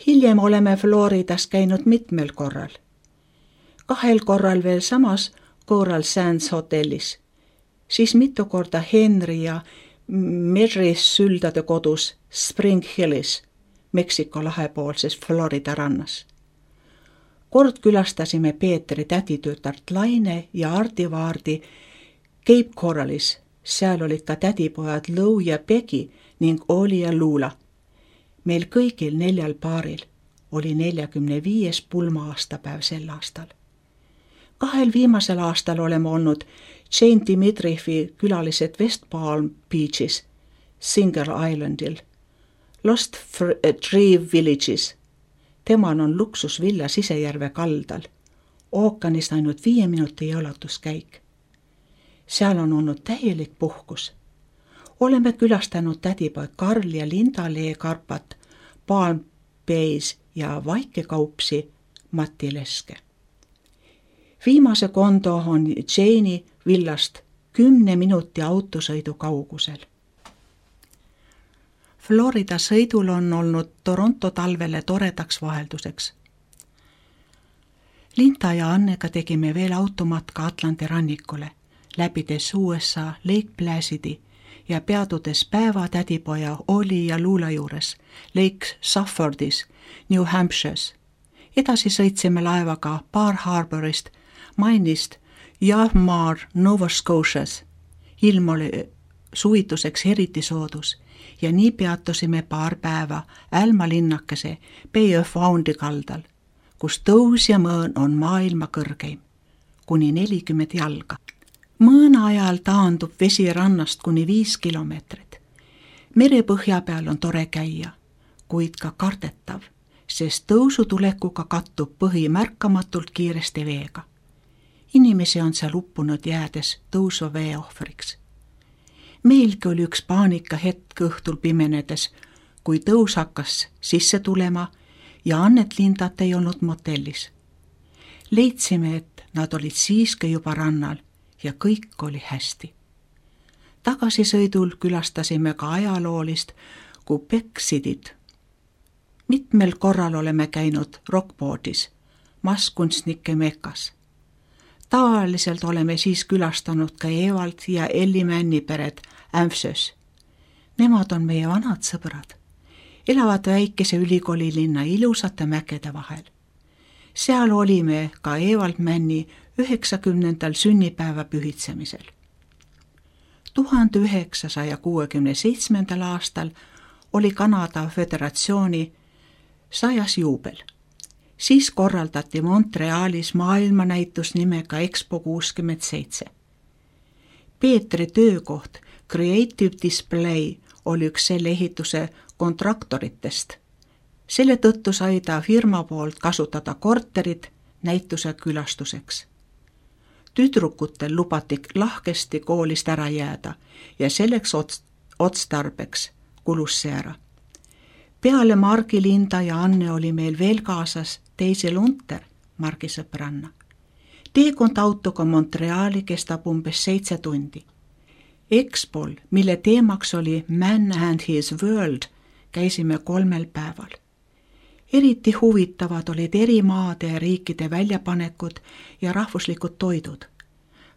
Hiljem oleme Floridas käinud mitmel korral. 2 korral veel samas Coral Sands hotellis, siis mitu korda Henry ja Mary Süldade kodus Spring Hillis, Meksiko lahepoolses Florida rannas. Kord külastasime Peetri täditütart Laine ja Ardi Vaardi Cape Coralis, seal olid ka tädipojad Lou ja Peggy ning Oli ja Luula. Meil kõigil 4 paaril oli 45. pulma-aastapäev sel aastal. 2 viimasel aastal oleme olnud Jane Dimitrijevi külalised West Palm Beachis, Singer Islandil, Lost Tree Villages. Temal on luksusvilla Sisejärve kaldal, ookeanist ainult 5 minuti jalutuskäik. Seal on olnud täielik puhkus. Oleme külastanud tädipoeg Karl ja Linda Lee-Karpat, Palm Bays ja Vaikekaupsi Mati Leske. Viimase kondo on Jane'i villast 10 minuti autosõidu kaugusel. Florida sõidul on olnud Toronto talvele toredaks vahelduseks. Linda ja Annega tegime veel automatka Atlandi rannikule, läbides USA Lake Placidi ja peatudes päeva tädipoja Oli ja Luula juures Lake Saffordis, New Hampshire's. Edasi sõitsime laevaga Bar Harborist Mainist Yarmouth, Nova Scotias. Ilm oli suvituseks eriti soodus ja nii peatusime paar päeva Älma linnakese Bay of Fundy kaldal, kus tõus ja mõõn on maailma kõrgeim, kuni 40 jalga. Mõõna ajal taandub vesi rannast kuni 5 kilomeetrit. Merepõhja peal on tore käia, kuid ka kardetav, sest tõusutulekuga kattub põhi märkamatult kiiresti veega. Inimesi on seal uppunud jäädes tõusva vee ohvriks. Meilgi oli üks paanika hetk õhtul pimenedes, kui tõus hakkas sisse tulema ja Annet Lindat ei olnud motellis. Leidsime, et nad olid siiski juba rannal ja kõik oli hästi. Tagasisõidul külastasime ka ajaloolist Quebec Cityt. Mitmel korral oleme käinud Rockportis, masskunstnike mekas. Tavaliselt oleme siis külastanud ka Evald ja Elli Männi peret Ämfsös. Nemad on meie vanad sõbrad. Elavad väikese ülikoolilinna ilusate mägede vahel. Seal olime ka Evald Männi 90. sünnipäeva pühitsemisel. 1967. aastal oli Kanada Föderatsiooni 100. juubel. Siis korraldati Montrealis maailmanäitus nimega Expo 67. Peetri töökoht Creative Display oli üks selle ehituse kontraktoritest. Selle tõttu sai ta firma poolt kasutada korterit näituse külastuseks. Tüdrukutel lubati lahkesti koolist ära jääda ja selleks otstarbeks kulus see ära. Peale Margi, Linda ja Anne oli meil veel kaasas Daisy Lunter, Margi sõbranna. Teekond autoga Montreali kestab umbes 7 tundi. Expol, mille teemaks oli Man and His World, käisime 3 päeval. Eriti huvitavad olid eri maade ja riikide väljapanekud ja rahvuslikud toidud.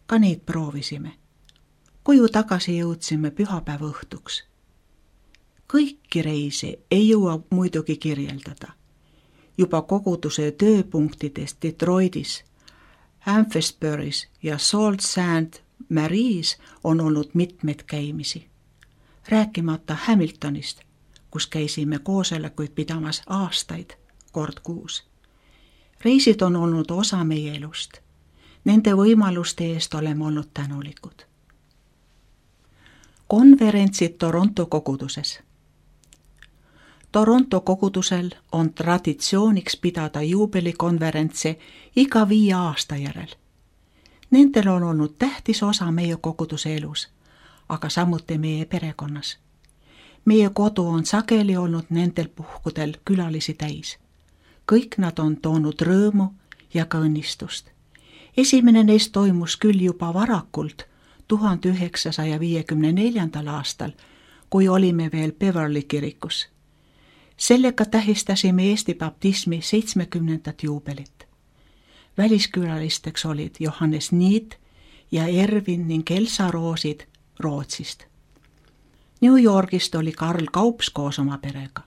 Ka neid proovisime. Koju tagasi jõudsime pühapäeva õhtuks. Kõiki reisi ei jõua muidugi kirjeldada. Juba koguduse tööpunktidest Detroitis, Amphasbury's ja Sault Ste. Marie's on olnud mitmeid käimisi. Rääkimata Hamiltonist, kus käisime koosolekuid pidamas aastaid, kord kuus. Reisid on olnud osa meie elust. Nende võimaluste eest oleme olnud tänulikud. Konverentsid Toronto koguduses. Toronto kogudusel on traditsiooniks pidada juubelikonverentse iga 5 aasta järel. Nendel on olnud tähtis osa meie koguduse elus, aga samuti meie perekonnas. Meie kodu on sageli olnud nendel puhkudel külalisi täis. Kõik nad on toonud rõõmu ja ka õnnistust. Esimene neist toimus küll juba varakult 1954. aastal, kui olime veel Beverly kirikus. Sellega tähistasime Eesti baptismi 70. juubelit. Väliskülalisteks olid Johannes Niit ja Ervin ning Elsa Roosid Rootsist. New Yorgist oli Karl Kaups koos oma perega.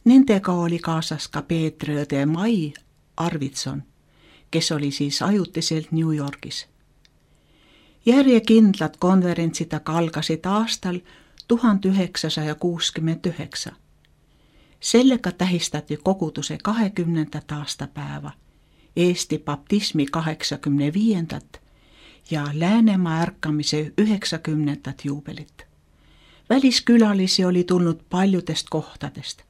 Nendega oli kaasas ka Peetri õde Mai Arvidson, kes oli siis ajutiselt New Yorgis. Järjekindlad konverentsid aga algasid aastal 1969. Sellega tähistati koguduse 20. aastapäeva, Eesti baptismi 85. ja Läänemaa ärkamise 90. juubelit. Väliskülalisi oli tulnud paljudest kohtadest.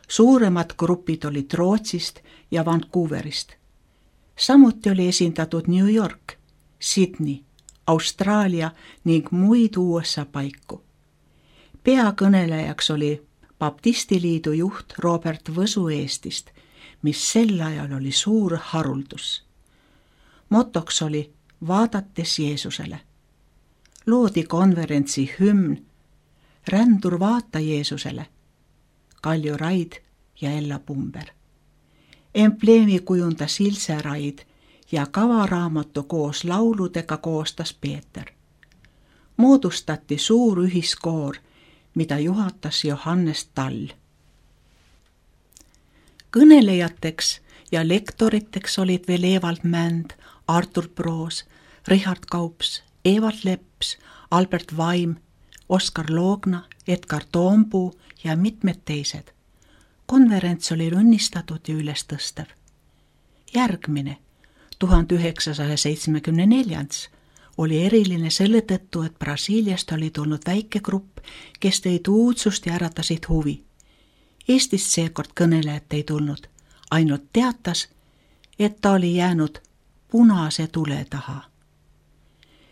Suuremad grupid olid Rootsist ja Vancouverist. Samuti oli esindatud New York, Sydney, Austraalia ning muid USA paiku. Peakõnelejaks oli Baptistiliidu juht Robert Võsu Eestist, mis sel ajal oli suur haruldus. Motoks oli vaadates Jeesusele. Loodi konverentsi hümn Rändur vaata Jeesusele, Kalju Raid ja Ella Pumber. Embleemi kujundas Ilse Raid ja kavaraamatu koos lauludega koostas Peeter. Moodustati suur ühiskoor, mida juhatas Johannes Tall. Kõnelejateks ja lektoriteks olid veel Evald Mänd, Artur Proos, Richard Kaups, Evald Leps, Albert Vaim, Oskar Loogna, Edgar Toompuu ja mitmed teised. Konverents oli õnnistatud ja ülestõstev. Järgmine, 1974. oli eriline selle tõttu, et Brasiiliast oli tulnud väike grupp, kes tõid uudsust ja äratasid huvi. Eestist seekord kõnelejat ei tulnud, ainult teatas, et ta oli jäänud punase tule taha.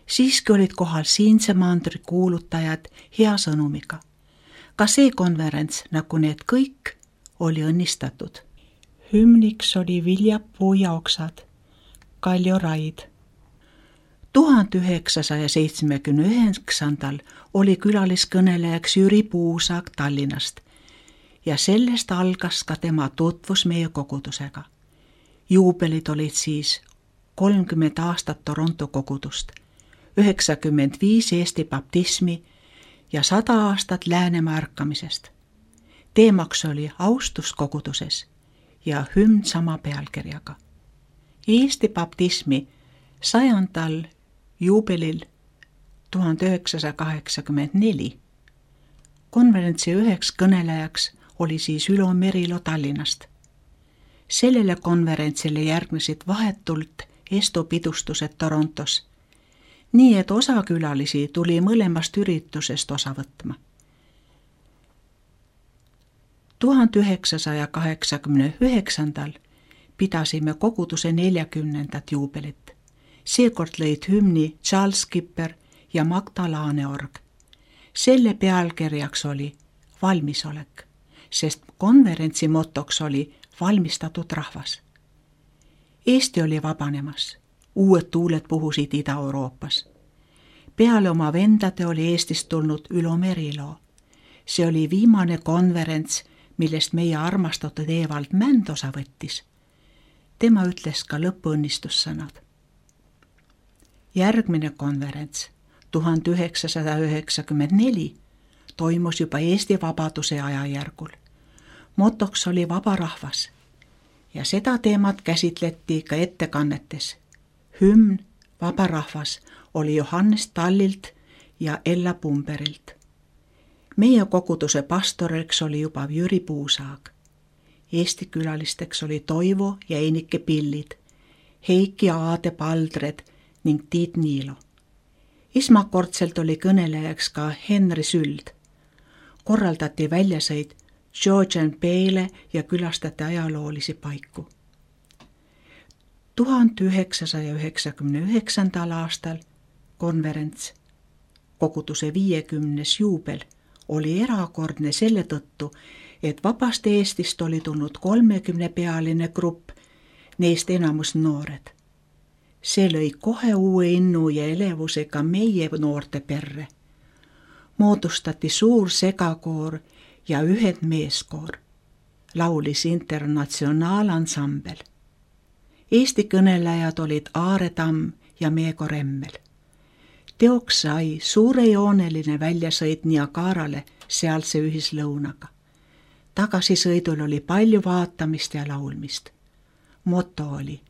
Siiski olid kohal siinse mandri kuulutajad hea sõnumiga. Ka see konverents, nagu need kõik, oli õnnistatud. Hümniks oli Viljapuu ja oksad, Kalju Raid. 1979. oli külaliskõnelejaks Jüri Puusaag Tallinnast ja sellest algas ka tema tutvus meie kogudusega. Juubelid olid siis 30 aastat Toronto kogudust, 95 Eesti baptismi ja 100 aastat Läänemaa ärkamisest. Teemaks oli austus koguduses ja hümn sama pealkirjaga. Eesti baptismi 100. juubelil 1984 konverentsi üheks kõnelejaks oli siis Ülo Merilo Tallinnast. Sellele konverentsile järgnesid vahetult Esto pidustused Torontos, nii et osa külalisi tuli mõlemast üritusest osa võtma. 1989. pidasime koguduse 40. juubelit. Seekord lõid hümni Charles Skipper ja Magda Laaneorg. Selle pealkirjaks oli valmisolek, sest konverentsi motoks oli valmistatud rahvas. Eesti oli vabanemas, uued tuuled puhusid Ida-Euroopas. Peale oma vendade oli Eestist tulnud Ülo Merilo. See oli viimane konverents, millest meie armastatud Evald Mänd osa võttis. Tema ütles ka lõpuõnnistussõnad. Järgmine konverents, 1994, toimus juba Eesti vabaduse ajajärgul. Motoks oli vaba rahvas ja seda teemat käsitleti ka ettekannetes. Hümn Vaba rahvas oli Johannes Tallilt ja Ella Pumberilt. Meie koguduse pastoriks oli juba Jüri Puusaag. Eesti külalisteks oli Toivo ja Einike Pillid, Heiki Aade Paldred ning Tiit Niilo. Esmakordselt oli kõnelejaks ka Henri Süld. Korraldati väljasõid Georgian Bay'le ja külastati ajaloolisi paiku. 1999. aastal konverents, koguduse 50. juubel, oli erakordne selle tõttu, et vabast Eestist oli tulnud 30-pealine grupp, neist enamus noored. See lõi kohe uue innu ja elevusega meie noorte perre. Moodustati suur segakoor ja ühed meeskoor. laulis internatsionaalansambel. Eesti kõnelejad olid Aare Tamm ja Meego Remmel. Teoks sai suurejooneline väljasõit Niagarale sealse ühislõunaga. Tagasisõidul oli palju vaatamist ja laulmist. Moto oli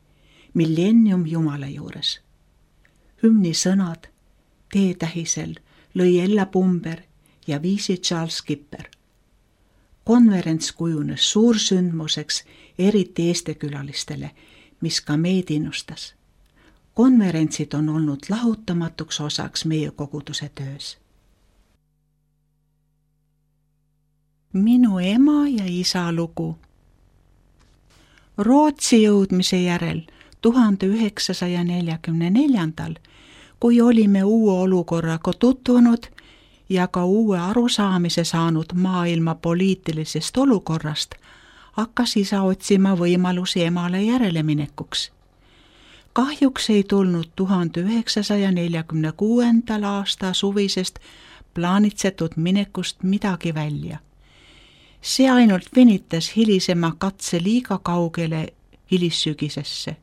Millennium Jumala juures. Hümni sõnad T-tähisel lõi Ella Pumber ja viisi Charles Kipper. Konverents kujunes suursündmuseks eriti eestekülalistele, mis ka meid innustas. Konverentsid on olnud lahutamatuks osaks meie koguduse töös. Minu ema ja isa lugu. Rootsi jõudmise järel 1944, kui olime uue olukorraga tutvunud ja ka uue arusaamise saanud maailma poliitilisest olukorrast, hakkas isa otsima võimalusi emale järeleminekuks. Kahjuks ei tulnud 1946. aasta suvisest plaanitsetud minekust midagi välja. See ainult venitas hilisema katse liiga kaugele hilissügisesse.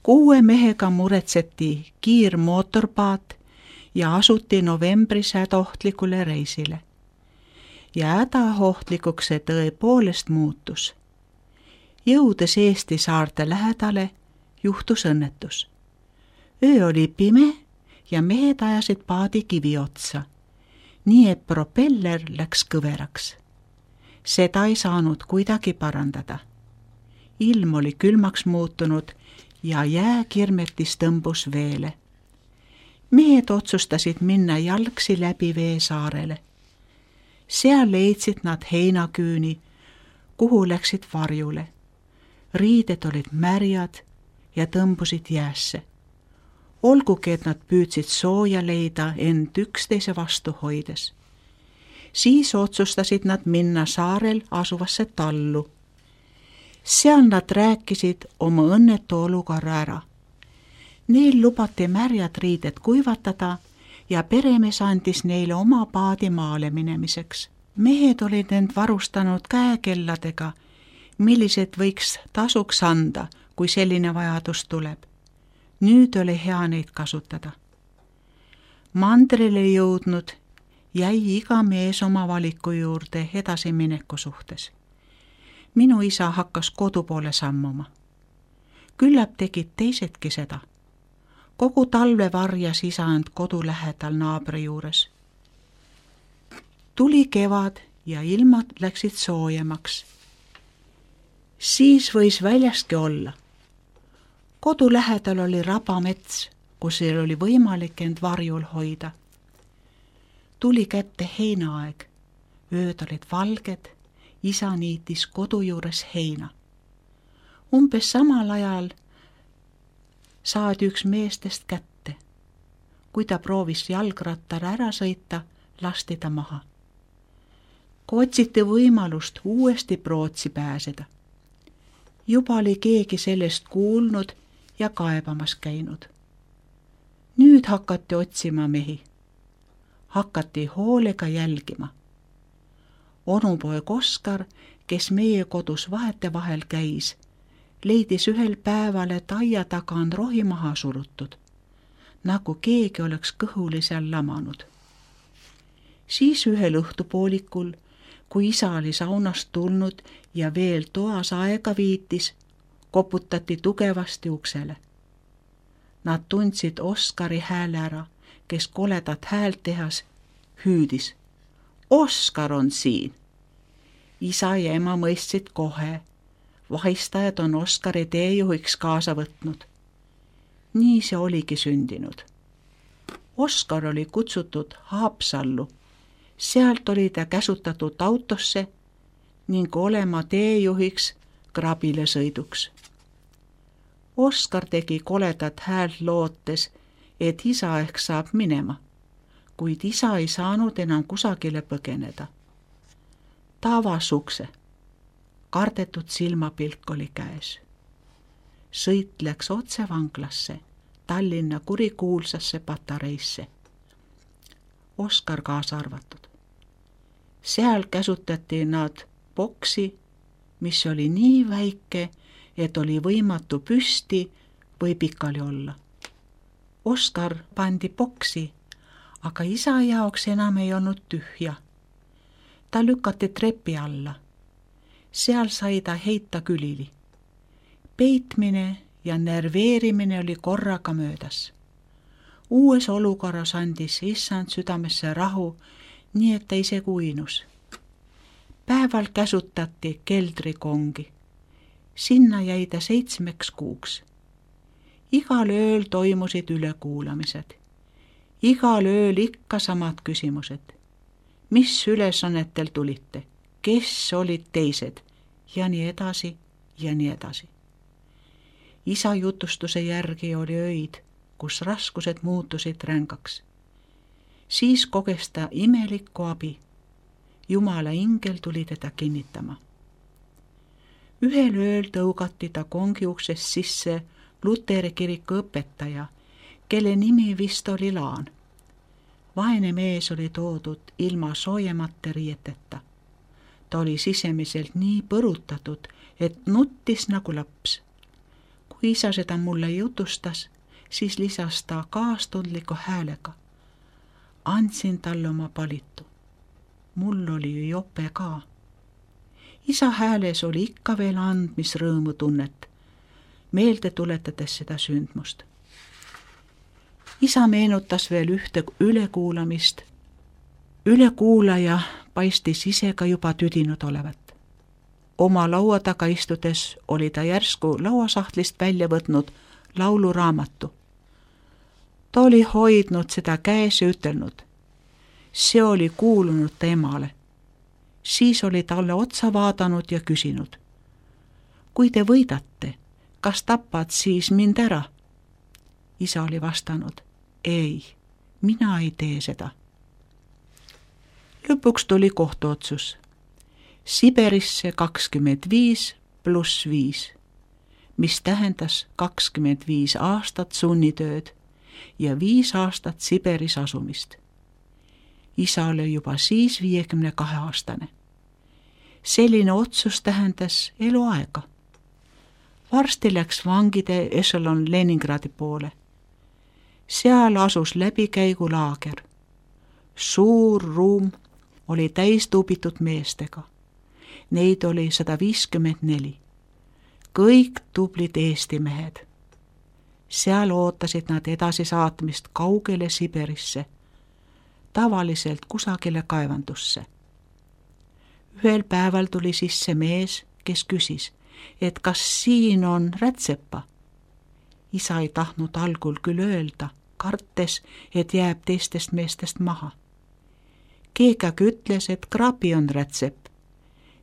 6 mehega muretseti kiirmootorpaat ja asuti novembris hädaohtlikule reisile. Ja hädaohtlikuks see tõepoolest muutus. Jõudes Eesti saarte lähedale, juhtus õnnetus. Öö oli pime ja mehed ajasid paadi kivi otsa, nii et propeller läks kõveraks. Seda ei saanud kuidagi parandada. Ilm oli külmaks muutunud ja jääkirmetis tõmbus veele. Mehed otsustasid minna jalgsi läbi Veesaarele. Seal leidsid nad heinaküüni, kuhu läksid varjule. Riided olid märjad ja tõmbusid jäässe. Olgugi, et nad püüdsid sooja leida end üksteise vastu hoides. Siis otsustasid nad minna saarel asuvasse tallu. Seal nad rääkisid oma õnnetu olukorra ära. Neil lubati märjad riided kuivatada ja peremees andis neile oma paadi maale minemiseks. Mehed olid end varustanud käekelladega, millised võiks tasuks anda, kui selline vajadus tuleb. Nüüd oli hea neid kasutada. Mandrile jõudnud jäi iga mees oma valiku juurde edasimineku suhtes. Minu isa hakkas kodu poole sammuma. Küllap tegid teisedki seda. Kogu talve varjas isa end kodu lähedal naabri juures. Tuli kevad ja ilmad läksid soojemaks. Siis võis väljaski olla. Kodu lähedal oli rabamets, kus oli võimalik end varjul hoida. Tuli kätte heinaaeg. Ööd olid valged, isa niitis kodu juures heina. Umbes samal ajal saadi üks meestest kätte. Kui ta proovis jalgrattar ära sõita, lasti ta maha. Kui otsiti võimalust uuesti Prootsi pääseda. Juba oli keegi sellest kuulnud ja kaebamas käinud. Nüüd hakati otsima mehi. Hakati hoolega jälgima. Onupoeg Oskar, kes meie kodus vahetevahel käis, leidis ühel päeval, et aia taga on rohi maha surutud, nagu keegi oleks kõhuli seal lamanud. Siis ühel õhtupoolikul, kui isa oli saunast tulnud ja veel toas aega viitis, koputati tugevasti uksele. Nad tundsid Oskari hääle ära, kes koledat häält tehas hüüdis. Oskar on siin! Isa ja ema mõistsid kohe. Vahistajad on Oskari teejuhiks kaasa võtnud. Nii see oligi sündinud. Oskar oli kutsutud Haapsallu. Sealt oli ta käsutatud autosse ning olema teejuhiks krabile sõiduks. Oskar tegi koledat häält lootes, et isa ehk saab minema, kuid isa ei saanud enam kusagile põgeneda. Ta avas ukse. Kardetud silmapilk oli käes. Sõit läks otse vanglasse, Tallinna kurikuulsasse patareisse. Oskar kaasa arvatud. Seal käsutati nad boksi mis oli nii väike, et oli võimatu püsti või pikali olla. Oskar pandi boksi, aga isa jaoks enam ei olnud tühja. Ta lükati trepi alla. Seal sai ta heita külili. Peitmine ja nerveerimine oli korraga möödas. Uues olukorras andis issand südamesse rahu, nii et ta isegi uinus. Päeval käsutati keldrikongi. Sinna jäi ta 7 kuuks. Igal ööl toimusid ülekuulamised. Igal ööl ikka samad küsimused. Mis ülesannetel tulite? Kes olid teised? Ja nii edasi ja nii edasi. Isa jutustuse järgi oli öid, kus raskused muutusid rängaks. Siis koges ta imelikku abi. Jumala ingel tuli teda kinnitama. Ühel ööl tõugati ta kongi uksest sisse Luteri kiriku õpetaja, kelle nimi vist oli Laan. Vaene mees oli toodud ilma soojemate riieteta. Ta oli sisemiselt nii põrutatud, et nuttis nagu laps. Kui isa seda mulle jutustas, siis lisas ta kaastundliku häälega. Andsin talle oma palitu. Mul oli ju jope ka. Isa hääles oli ikka veel andmisrõõmu tunnet, meelde tuletades seda sündmust. Isa meenutas veel ühte ülekuulamist. Ülekuulaja paistis ise ka juba tüdinud olevat. Oma laua taga istudes oli ta järsku lauasahtlist välja võtnud lauluraamatu. Ta oli hoidnud seda käes ja ütelnud. See oli kuulunud ta emale. Siis oli talle otsa vaadanud ja küsinud. Kui te võidate, kas tapad siis mind ära? Isa oli vastanud. Ei, mina ei tee seda. Lõpuks tuli kohtuotsus. Siberisse 25 + 5, mis tähendas 25 aastat sunnitööd ja 5 aastat Siberis asumist. Isa oli juba siis 52-aastane. Selline otsus tähendas eluaega. Varsti läks vangide ešelon Leningradi poole. Seal asus läbikäigulaager. Suur ruum oli täis tuubitud meestega. Neid oli 154. Kõik tublid Eesti mehed. Seal ootasid nad edasisaatmist kaugele Siberisse, tavaliselt kusagile kaevandusse. Ühel päeval tuli sisse mees, kes küsis, et kas siin on rätsepa. Isa ei tahtnud algul küll öelda, kartes, et jääb teistest meestest maha. Keegi aga ütles, et krabi on rätsep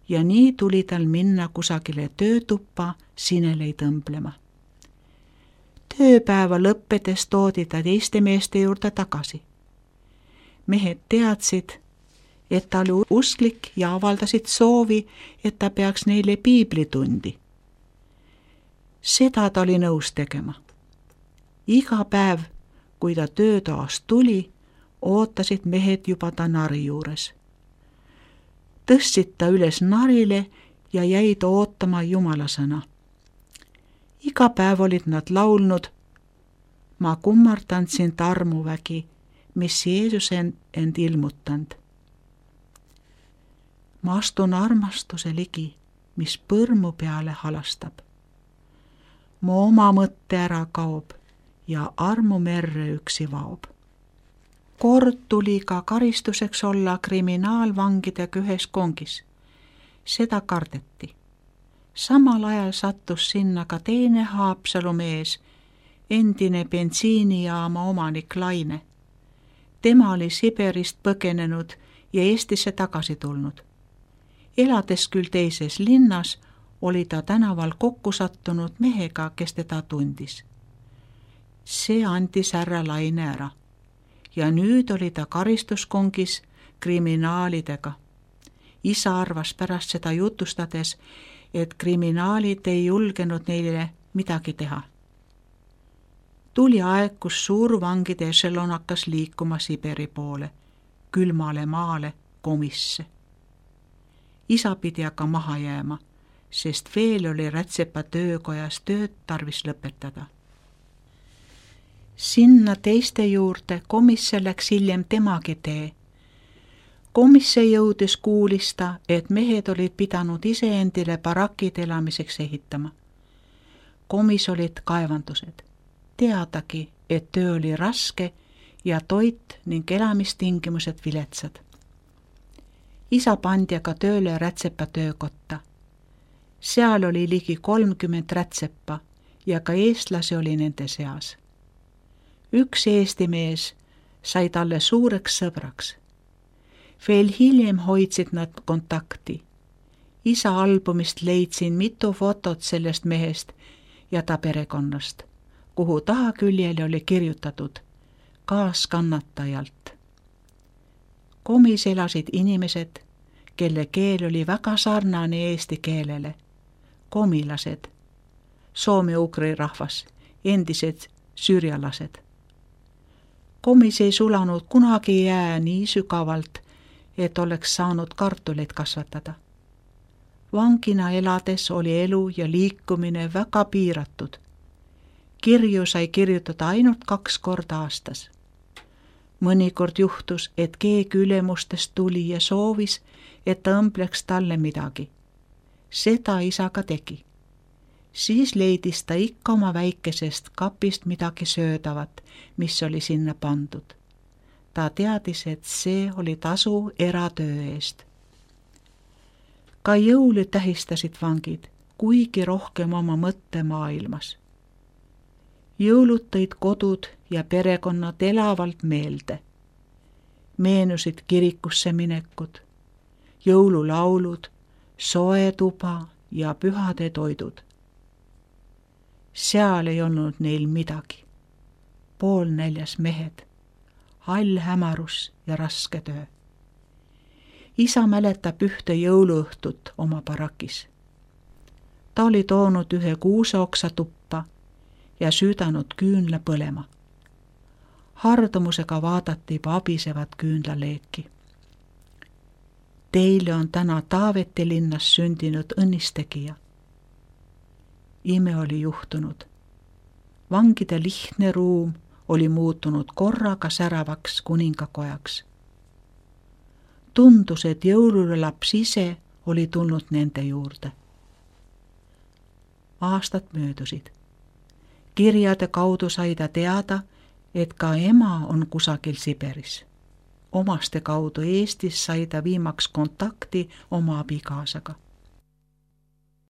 ja nii tuli tal minna kusagile töötuppa sinelei tõmblema. Tööpäeva lõppedes toodi ta teiste meeste juurde tagasi. Mehed teadsid, et ta oli usklik ja avaldasid soovi, et ta peaks neile piiblitundi. Seda ta oli nõus tegema. Iga päev, kui ta töötoast tuli, ootasid mehed juba ta nari juures. Tõstsid ta üles narile ja jäid ootama Jumala sõna. Iga päev olid nad laulnud, ma kummardan sind armuvägi, mis Jeesus end ilmutanud. Ma astun armastuse ligi, mis põrmu peale halastab. Mu oma mõtte ära kaob ja armu merre üksi vaob. Kord tuli ka karistuseks olla kriminaalvangidega ühes kongis. Seda kardeti. Samal ajal sattus sinna ka teine Haapsalu mees, endine bensiinijaama omanik Laine. Tema oli Siberist põgenenud ja Eestisse tagasi tulnud. Elades küll teises linnas, oli ta tänaval kokku sattunud mehega, kes teda tundis. See andis härra Laine ära. Ja nüüd oli ta karistuskongis kriminaalidega. Isa arvas pärast seda jutustades, et kriminaalid ei julgenud neile midagi teha. Tuli aeg, kus suurvangide ešelon hakkas liikuma Siberi poole, külmale maale, komisse. Isa pidi aga maha jääma, sest veel oli Rätsepa töökojas tööd tarvis lõpetada. Sinna teiste juurde komisse läks hiljem temagi tee. Komisse jõudes kuulis ta, et mehed olid pidanud iseendile barakid elamiseks ehitama. Komis olid kaevandused. Teadagi, et töö oli raske ja toit ning elamistingimused viletsad. Isa pandi aga tööle Rätsepa töökotta. Seal oli ligi 30 rätsepa ja ka eestlasi oli nende seas. Üks eesti mees sai talle suureks sõbraks. Veel hiljem hoidsid nad kontakti. Isa albumist leidsin mitu fotot sellest mehest ja ta perekonnast, kuhu tahaküljele oli kirjutatud kaaskannatajalt. Komis elasid inimesed, kelle keel oli väga sarnane eesti keelele. Komilased, soome-ugri rahvas, endised süürialased. Komis ei sulanud kunagi jää nii sügavalt, et oleks saanud kartuleid kasvatada. Vangina elades oli elu ja liikumine väga piiratud. Kirju sai kirjutada ainult 2 korda aastas. Mõnikord juhtus, et keegi ülemustest tuli ja soovis, et ta õmbleks talle midagi. Seda isa ka tegi. Siis leidis ta ikka oma väikesest kapist midagi söödavat, mis oli sinna pandud. Ta teadis, et see oli tasu eratöö eest. Ka jõuli tähistasid vangid, kuigi rohkem oma mõttemaailmas. Jõulud tõid kodud ja perekonnad elavalt meelde. Meenusid kirikusse minekud, jõululaulud, soe tuba ja pühade toidud. Seal ei olnud neil midagi. Poolnäljas mehed, hall hämarus ja raske töö. Isa mäletab ühte jõuluõhtut oma barakis. Ta oli toonud ühe kuuseoksa tuppa ja süüdanud küünla põlema. Hardumusega vaadati vabisevat küünlaleeki. Teile on täna Taaveti linnas sündinud õnnistegija. Ime oli juhtunud. Vangide lihtne ruum oli muutunud korraga säravaks kuningakojaks. Tundus, et jõululaps ise oli tulnud nende juurde. Aastad möödusid. Kirjade kaudu sai ta teada, et ka ema on kusagil Siberis. Omaste kaudu Eestis sai ta viimaks kontakti oma abikaasaga.